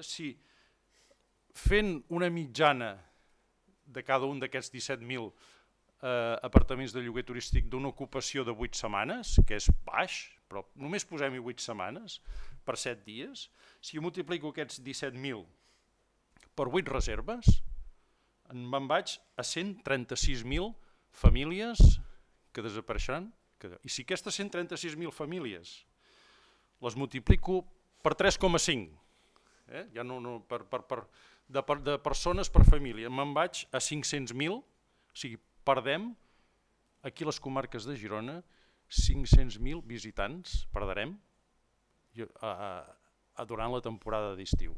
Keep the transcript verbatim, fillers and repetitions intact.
Si fent una mitjana de cada un d'aquests disset mil eh, apartaments de lloguer turístic d'una ocupació de vuit setmanes, que és baix, però només posem-hi vuit setmanes per set dies, si jo multiplico aquests disset mil per vuit reserves, me'n vaig a cent trenta-sis mil famílies que desapareixeran. I si aquestes cent trenta-sis mil famílies les multiplico per tres coma cinc, eh? ja no, no, per, per, per, de, per, de persones per família, me'n vaig a cinc-cents mil, o sigui, perdem aquí a les comarques de Girona cinc-cents mil visitants, perdrem a, a, a durant la temporada d'estiu.